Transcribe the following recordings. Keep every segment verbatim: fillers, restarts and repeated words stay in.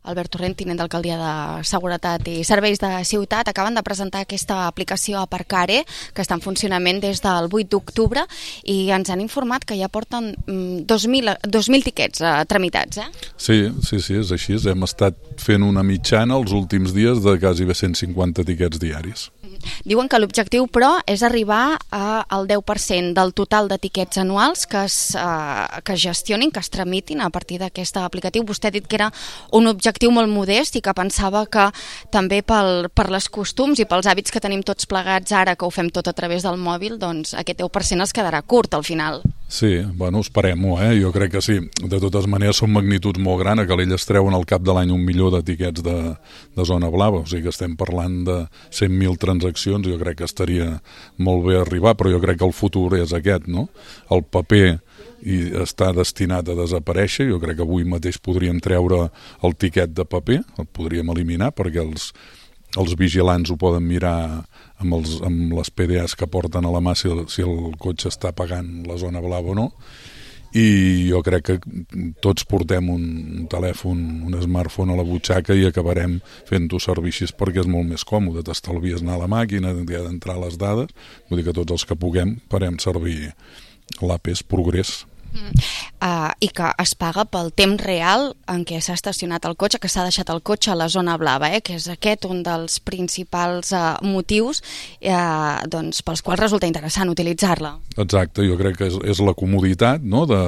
Albert Torrent, tinent d'alcaldia de Seguretat i Serveis de Ciutat, acaben de presentar aquesta aplicació Aparcare, que està en funcionament des del vuit d'octubre, i ens han informat que ja porten dos mil tiquets eh, tramitats. Eh? Sí, sí, sí, és així. Hem estat fent una mitjana els últims dies de quasi cent cinquanta tiquets diaris. Diuen que l'objectiu, però, és arribar a, al deu per cent del total de tiquets anuals que es, eh, que es gestionin, que es tramitin a partir d'aquest aplicatiu. Vostè ha dit que era un objectiu molt modest i que pensava que també pel, per les costums i pels hàbits que tenim tots plegats ara, que ho fem tot a través del mòbil, doncs aquest deu per cent es quedarà curt al final. Sí, bueno, esperem-ho, eh? Jo crec que sí. De totes maneres són magnituds molt grans, que elles treuen al cap de l'any un milió de tiquets de, de zona blava, o sigui que estem parlant de cent mil transaccions, jo crec que estaria molt bé arribar, però jo crec que el futur és aquest, no? El paper i està destinat a desaparèixer. Jo crec que avui mateix podríem treure el tiquet de paper, el podríem eliminar, perquè els, els vigilants ho poden mirar amb, els, amb les P D As que porten a la mà si el, si el cotxe està pagant la zona blava o no. I jo crec que tots portem un, un telèfon, un smartphone a la butxaca i acabarem fent-ho servir així perquè és molt més còmode. T'estalvies anar a la màquina, d'entrar les dades, vull dir que tots els que puguem farem servir l'A P E S Progrés. Mm. Uh, i que es paga pel temps real en què s'ha estacionat el cotxe, que s'ha deixat el cotxe a la zona blava, eh? Que és aquest un dels principals uh, motius uh, doncs, pels quals resulta interessant utilitzar-la. Exacte, jo crec que és, és la comoditat, no? de,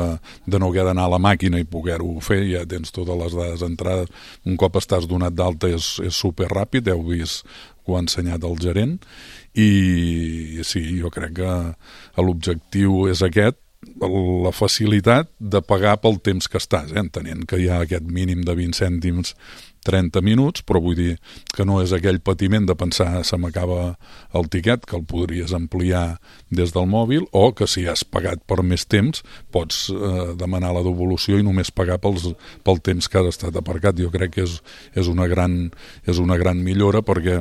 de no haver d'anar a la màquina i poder-ho fer, ja tens totes les dades entrades, un cop estàs donat d'alta és, és superràpid, heu vist que ho ha ensenyat el gerent, i sí, jo crec que l'objectiu és aquest, la facilitat de pagar pel temps que estàs, eh? Entenent que hi ha aquest mínim de vint cèntims trenta minuts, però vull dir que no és aquell patiment de pensar se m'acaba el tiquet, que el podries ampliar des del mòbil, o que si has pagat per més temps pots eh, demanar la devolució i només pagar pels, pel temps que has estat aparcat. Jo crec que és, és, una gran, és una gran millora, perquè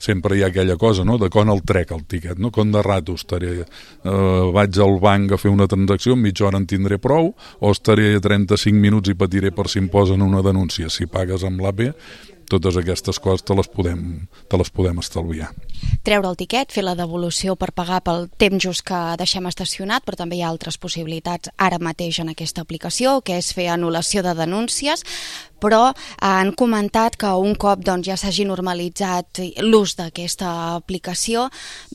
sempre hi ha aquella cosa, no?, de quan el trec el tiquet, no? Com de rato estaré, eh, vaig al banc a fer una transacció, en mitja hora en tindré prou, o estaré trenta-cinc minuts i patiré per si em posen una denúncia. Si pagues amb l'A P, totes aquestes coses te les podem, te les podem estalviar. Treure el tiquet, fer la devolució per pagar pel temps just que deixem estacionat, però també hi ha altres possibilitats ara mateix en aquesta aplicació, que és fer anul·lació de denúncies, però han comentat que un cop doncs, ja s'hagi normalitzat l'ús d'aquesta aplicació,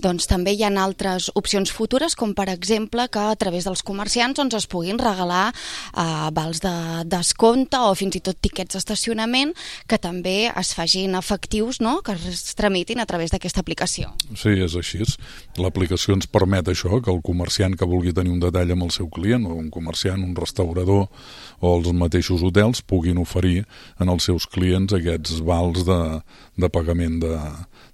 doncs també hi ha altres opcions futures, com per exemple que a través dels comerciants doncs, es puguin regalar eh, vals de descompte o fins i tot tiquets d'estacionament que també es facin efectius, no?, que es tramitin a través d'aquesta aplicació. Sí, és així. L'aplicació ens permet això, que el comerciant que vulgui tenir un detall amb el seu client, o un comerciant, un restaurador o els mateixos hotels puguin oferir en els seus clients aquests vals de, de pagament de,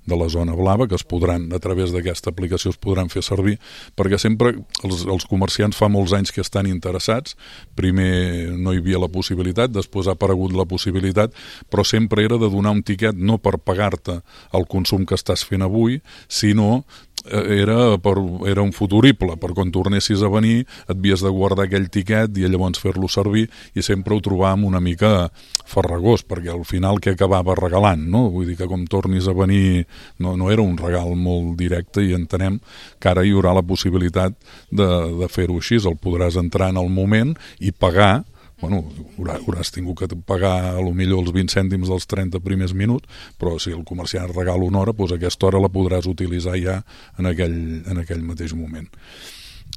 de la zona blava, que es podran, a través d'aquesta aplicació es podran fer servir, perquè sempre els, els comerciants fa molts anys que estan interessats. Primer no hi havia la possibilitat, després ha aparegut la possibilitat, però sempre era de donar un tiquet no per pagar-te el consum que estàs fent avui, sinó era, per, era un futurible, per quan tornessis a venir et havies de guardar aquell tiquet i llavors fer-lo servir, i sempre ho trobàvem una mica farragós, perquè al final què acabava regalant, no? Vull dir que com tornis a venir no, no era un regal molt directe, i entenem que ara hi haurà la possibilitat de, de fer-ho així, el podràs entrar en el moment i pagar. Bueno, hauràs tingut que pagar a lo millor els vint cèntims dels trenta primers minuts, però si el comerciant regala una hora, doncs aquesta hora la podràs utilitzar ja en aquell, en aquell mateix moment.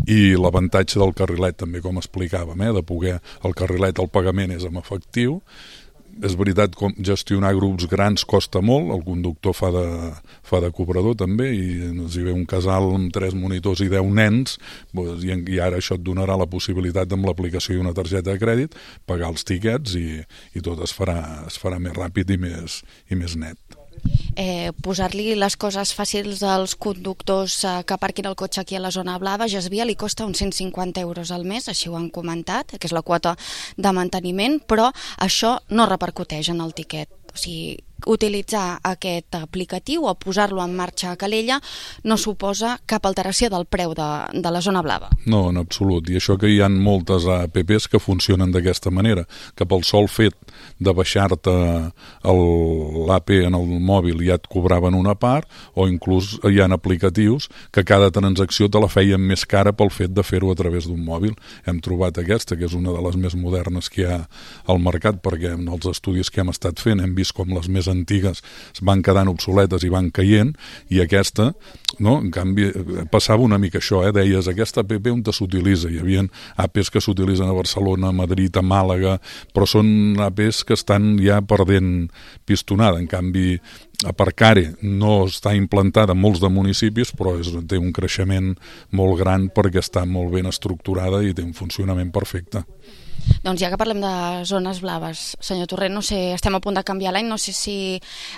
I l'avantatge del carrilet també, com explicàvem, eh, de poder, el carrilet, el pagament és en efectiu. És veritat que gestionar grups grans costa molt, el conductor fa de, fa de cobrador també, i si ve un casal amb tres monitors i deu nens, doncs, i, i ara això et donarà la possibilitat amb l'aplicació i una targeta de crèdit pagar els tiquets, i, i tot es farà, es farà més ràpid i més, i més net. Eh, posar-li les coses fàcils als conductors eh, que aparquin el cotxe aquí a la zona blava, Gesvia, li costa uns cent cinquanta euros al mes, així ho han comentat, que és la quota de manteniment, però això no repercuteix en el tiquet. O O sigui, utilitzar aquest aplicatiu o posar-lo en marxa a Calella no suposa cap alteració del preu de, de la zona blava. No, en absolut. I això que hi ha moltes app que funcionen d'aquesta manera, que pel sol fet de baixar-te l'A P en el mòbil ja et cobraven una part, o inclús hi ha aplicatius que cada transacció te la feien més cara pel fet de fer-ho a través d'un mòbil. Hem trobat aquesta, que és una de les més modernes que hi ha al mercat, perquè en els estudis que hem estat fent hem vist com les més antigues es van quedant obsoletes i van caient, i aquesta, no, en canvi, passava una mica això, eh? Deies, aquesta app on s'utilitza? Hi havia apps que s'utilitzen a Barcelona, a Madrid, a Màlaga, però són apps que estan ja perdent pistonada. En canvi, Aparcare no està implantada en molts de municipis, però és, té un creixement molt gran perquè està molt ben estructurada i té un funcionament perfecte. Doncs ja que parlem de zones blaves, senyor Torrent, no sé, estem a punt de canviar l'any, no sé si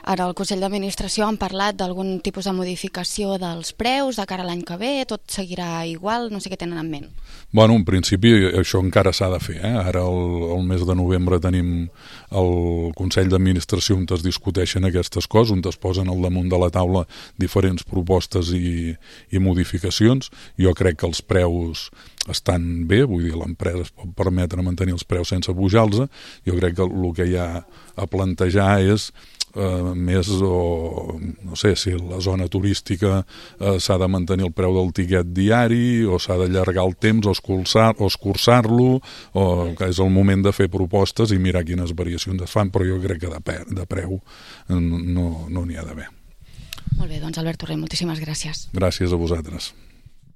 ara al Consell d'Administració han parlat d'algun tipus de modificació dels preus de cara a l'any que ve, tot seguirà igual, no sé què tenen en ment. Bueno, en principi això encara s'ha de fer, eh? Ara el, el mes de novembre tenim el Consell d'Administració on es discuteixen aquestes coses, on es posen al damunt de la taula diferents propostes i, i modificacions. Jo crec que els preus estan bé, vull dir, l'empresa es pot permetre mantenir els preus sense pujar-los. Jo crec que el que hi ha a plantejar és eh, més, o no sé, si la zona turística eh, s'ha de mantenir el preu del tiquet diari, o s'ha d'allargar el temps, o escurçar-lo, o escurçar-lo, o que és el moment de fer propostes i mirar quines variacions es fan, però jo crec que de, de preu no n'hi no ha d'haver. Molt bé, doncs Albert Torrent, moltíssimes gràcies. Gràcies a vosaltres.